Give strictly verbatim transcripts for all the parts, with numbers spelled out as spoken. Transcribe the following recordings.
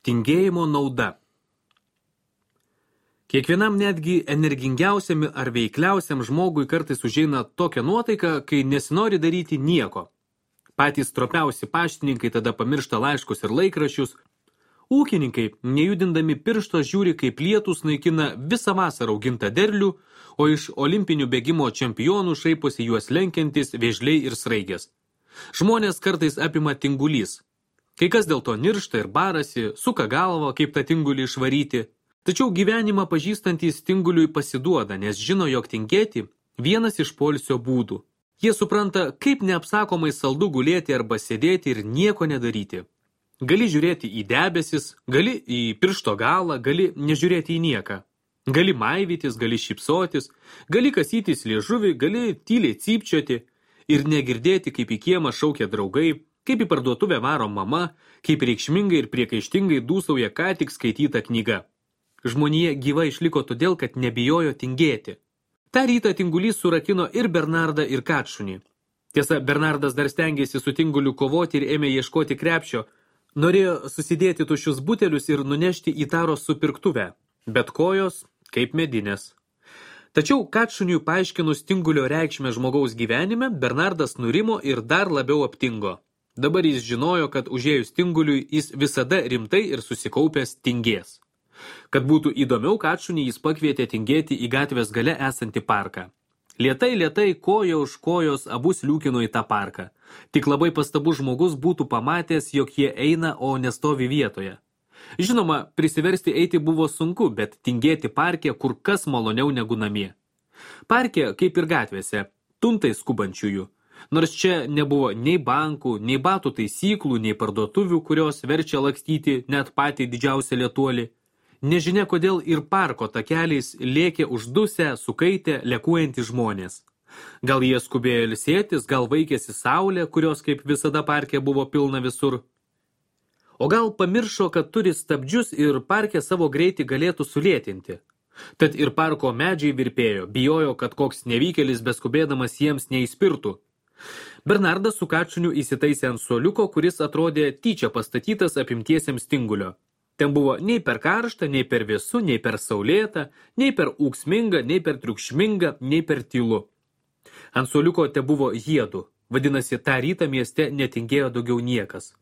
Tingėjimo nauda. Kiekvienam netgi energingiausiam ar veikliausiam žmogui kartais užeina tokia nuotaika, kai nesinori daryti nieko. Patys stropiausi paštininkai tada pamiršta laiškus ir laikraščius. Ūkininkai, nejudindami piršto, žiūri, kaip lietus naikina visą vasarą augintą derlių, o iš olimpinių bėgimo čempionų šaiposi juos lenkiantis vėžliai ir sraigės. Žmonės kartais apima tingulys. Kai kas dėl to niršta ir barasi, suka galvą, kaip tą tingulį išvaryti. Tačiau gyvenimą pažįstantys tinguliui pasiduoda, nes žino, jog tingėti vienas iš poilsio būdų. Jie supranta, kaip neapsakomai saldu gulėti arba sėdėti ir nieko nedaryti. Gali žiūrėti į debesis, gali į piršto galą, gali nežiūrėti į nieką. Gali maivytis, gali šypsotis, gali kasytis liežuvį, gali tyliai cypčioti ir negirdėti, kaip į kiemą šaukia draugai, kaip į parduotuvę varo mama, kaip reikšmingai ir priekaištingai dūsauja ką tik skaityta knyga. Žmonija gyva išliko todėl, kad nebijojo tingėti. Ta rytą tingulys surakino ir Bernardą, ir Kačšunį. Tiesa, Bernardas dar stengėsi su tinguliu kovoti ir ėmė ieškoti krepšio. Norėjo susidėti tuščius butelius ir nunešti į Taros supirktuvę, bet kojos kaip medinės. Tačiau Kačšuniui paaiškinus tingulio reikšmę žmogaus gyvenime, Bernardas nurimo ir dar labiau aptingo. Dabar jis žinojo, kad užėjus tinguliui jis visada rimtai ir susikaupęs tingės. Kad būtų įdomiau, Kačšunį jis pakvietė tingėti į gatvės gale esantį parką. Lietai, lietai, koja už kojos abu sliūkino į tą parką. Tik labai pastabus žmogus būtų pamatęs, jog jie eina, o nestovi vietoje. Žinoma, prisiversti eiti buvo sunku, bet tingėti parke kur kas maloniau negu namie. Parke, kaip ir gatvėse, tuntai skubančiųjų. Nors čia nebuvo nei bankų, nei batų taisyklų, nei parduotuvių, kurios verčia lakstyti net patį didžiausią lietuolį. Nežinia kodėl ir parko takeliais lėkė uždusę, sukaitę, lekuojantys žmonės. Gal jie skubėjo ilsėtis, gal vaikėsi saulė, kurios kaip visada parke buvo pilna visur. O gal pamiršo, kad turi stabdžius ir parke savo greitį galėtų sulėtinti. Tad ir parko medžiai virpėjo, bijojo, kad koks nevykėlis beskubėdamas jiems neįspirtų. Bernardas su Kačšuniu įsitaisė ant suoliuko, kuris atrodė tyčia pastatytas apimtiesiems tingulio. Ten buvo nei per karšta, nei per vėsu, nei per saulėta, nei per ūksminga, nei per triukšminga, nei per tylu. Ant suoliuko te buvo jiedu, vadinasi, tą rytą mieste netingėjo daugiau niekas.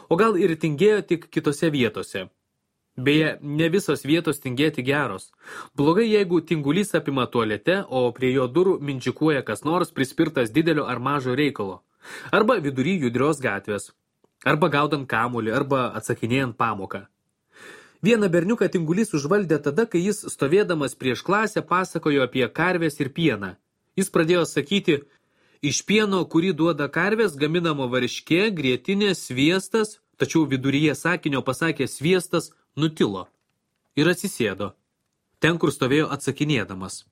O gal ir tingėjo tik kitose vietose. Beje, ne visos vietos tingėti geros. Blogai, jeigu tingulys apima tualete, o prie jo durų mindžikuoja kas nors prispirtas didelio ar mažo reikalo. Arba vidury judrios gatvės. Arba gaudant kamuolį, arba atsakinėjant pamoką. Vieną berniuką tingulys užvaldė tada, kai jis stovėdamas prieš klasę pasakojo apie karvės ir pieną. Jis pradėjo sakyti, iš pieno, kurį duoda karvės, gaminama varškė, grietinė, sviestas, tačiau viduryje sakinio pasakė sviestas, nutilo ir atsisėdo. Ten, kur stovėjo atsakinėdamas.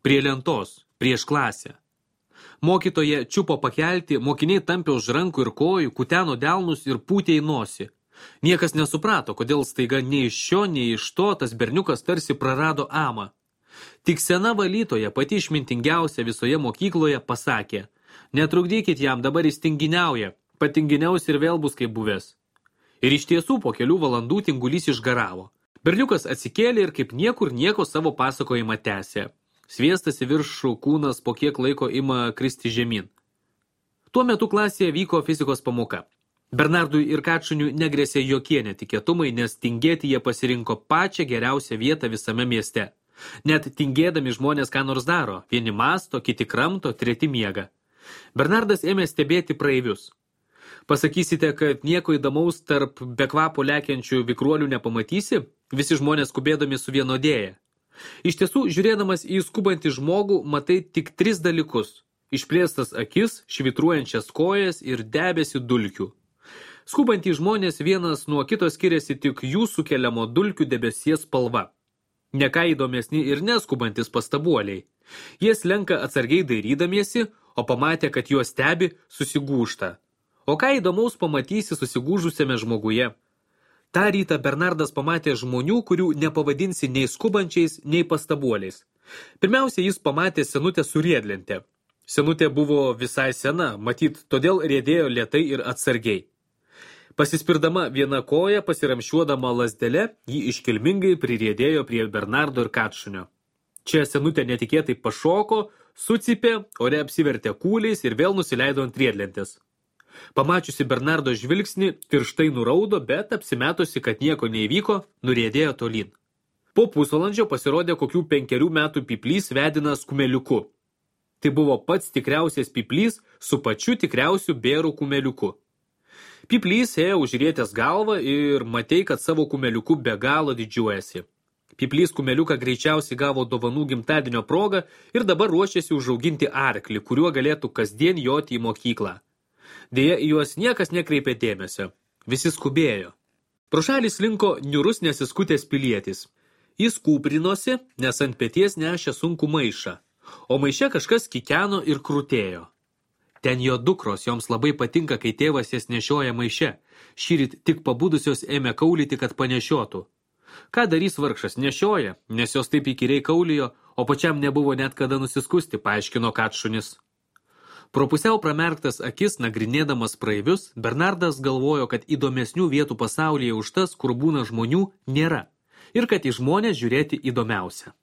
Prie lentos, prieš klasę. Mokytoja čiupo pakelti, mokiniai tampė už rankų ir kojų, kuteno delnus ir pūtė į nosį. Niekas nesuprato, kodėl staiga nei iš šio, nei iš to tas berniukas tarsi prarado amą. Tik sena valytoja, pati išmintingiausia visoje mokykloje, pasakė, netrukdykit jam, dabar jis tinginiauja, patinginiaus ir vėl bus kaip buvęs. Ir iš tiesų po kelių valandų tingulys išgaravo. Berniukas atsikėlė ir kaip niekur nieko savo pasakojimą tęsė. Sviestas į viršų kūnas po kiek laiko ima kristi žemyn. Tuo metu klasėje vyko fizikos pamoka. Bernardui ir Kačšuniui negrėsė jokie netikėtumai, nes tingėti jie pasirinko pačią geriausią vietą visame mieste. Net tingėdami žmonės ką nors daro, vieni masto, kiti kramto, treti miega. Bernardas ėmė stebėti praeivius. Pasakysite, kad nieko įdomaus tarp be kvapo lekiančių vikruolių nepamatysi, visi žmonės skubėdami suvienodėja. Iš tiesų, žiūrėdamas į skubantį žmogų, matai tik tris dalykus. Išplėstas akis, švitruojančias kojas ir debesį dulkių. Skubantys žmonės vienas nuo kito skiriasi tik jų sukeliamo dulkių debesies spalva. Ne ką įdomesni ir neskubantis pastabuoliai. Jie slenka atsargiai dairydamiesi, o pamatę, kad juos stebi, susigūžta. O ką įdomaus pamatysi susigūžusiame žmoguje? Ta rytą Bernardas pamatė žmonių, kurių nepavadinsi nei skubančiais, nei pastabuoliais. Pirmiausia, jis pamatė senutę su riedlente. Senutė buvo visai sena, matyt, todėl riedėjo lėtai ir atsargiai. Pasispirdama vieną koją, pasiramšiuodama lazdele, ji iškilmingai pririedėjo prie Bernardo ir Katšunio. Čia senutė netikėtai pašoko, sucipė, ore apsivertė kūliais ir vėl nusileido ant riedlentės. Pamačiusi Bernardo žvilgsnį, tirštai nuraudo, bet apsimetusi, kad nieko neįvyko, nuriedėjo tolyn. Po pusvalandžio pasirodė kokių penkerių metų pyplys vedinas kumeliuku. Tai buvo pats tikriausias pyplys su pačiu tikriausiu bėrų kumeliuku. Pyplys ėjo užrietęs galvą ir matei, kad savo kumeliuku be galo didžiuojasi. Pyplys kumeliuką greičiausiai gavo dovanų gimtadienio progą ir dabar ruošėsi užauginti arklį, kuriuo galėtų kasdien joti į mokyklą. Deja, į juos niekas nekreipė dėmesio. Visi skubėjo. Pro šalį slinko niurus nesiskutęs pilietis. Jis kūprinosi, nes ant peties nešė sunkų maišą, o maiše kažkas kikeno ir krutėjo. Ten jo dukros, joms labai patinka, kai tėvas jas nešioja maiše. Šįryt tik pabudusios ėmė kaulyti, kad panešiotų. Ką darys vargšas, nešioja, nes jos taip įkyriai kaulijo, o pačiam nebuvo net kada nusiskusti, paaiškino Katšunis. Pro pusiau pramerktas akis, nagrinėdamas praeivius, Bernardas galvojo, kad įdomesnių vietų pasaulyje už tas, kur būna žmonių, nėra, ir kad į žmonės žiūrėti įdomiausia.